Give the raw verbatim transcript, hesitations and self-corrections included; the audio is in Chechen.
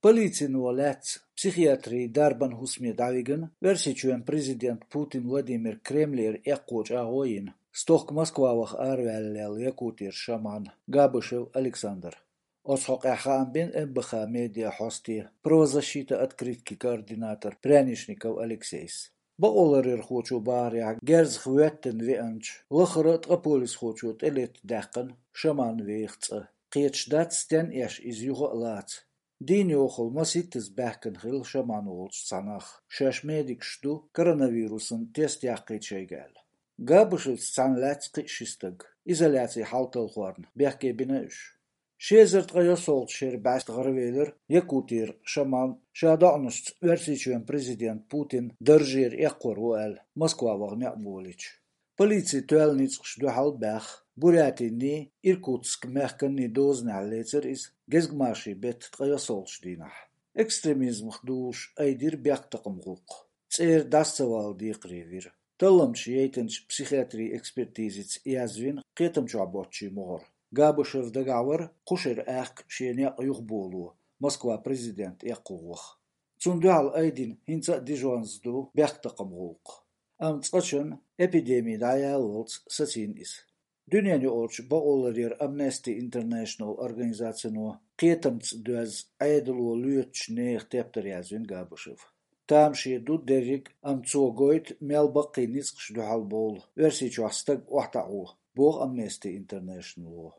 Полицино лаьцна психиатрийн дарбан хӀусаме дӀавигна, Оьрсийчоьнан президента Путин Владимира Кремлера эккхо чӀагӀо йина, стохка Москва ваха араваьллаелла Якутера шаман Габышев Александр. Оцу хьокъехь хаам бина МБХ медиа хьосте «Правозащита открытки» координатор Прянишников Алексейс. Бакъоларъярхочо бахарехь, герзах воьттина веанчу лахара а ткъа полисхочо тӀелетта даьккхина шаман веха цӀа. Кхеташ дац, стенна эш иза юха а лаца. Дийна йохалла масийттаза баьхкина хилла шаман волчу цхьа нах, шаьш медикаш ду, коронавирусан тест яккхийта шайга аьлла. Габышевца цхьаьна лаьцна кхин а ши стаг. Изоляцин хьал талхорна, бехке бина уьш. Ши эзар ткъе ялхолгӀачу шеран бӀаьста гӀаравелира Якутера шаман, ша доӀанашца Оьрсийчоьнан президент Путин даржера эккхор ву аьлла, Москва ваха некъ болийча. Полици тоьлла ницкъаш дуьхьал баьхна, Бурятинний, Иркутск мехканний дозанехь лецира иза гезгмашин беттан ткъе ялхолгӀачу дийнахь. Экстремизмах дузуш айдира бехктакхаман гӀуллакх. ЦӀера дӀаса ца вала декхаре вира. Талламчаша яйтинчу психиатрийн экспертизица язвина кхетам чохь боцчийн могӀара. Габышев дагахь вара кху шеран аьхка шен некъ юхаболо, Москва президент эккхо ваха. Цунна дуьхьал айдина хӀинца а дижонза ду бехктакхаман гӀуллакх. Амма цкъачунна, эпидеми дӀаяллалц, сацийна иза. Дуьненаюкъарчу бакъоларъяран Amnesty International организацино кхетамца доьзна Ӏедало лоьцучу нехан тептар язвина Габышев. Тамаше ду дерриг а, амма цо гойту мел баккхий ницкъаш дуьхьал бовла Оьрсийчохь стаг охьатаӀо, боху Amnesty International-о.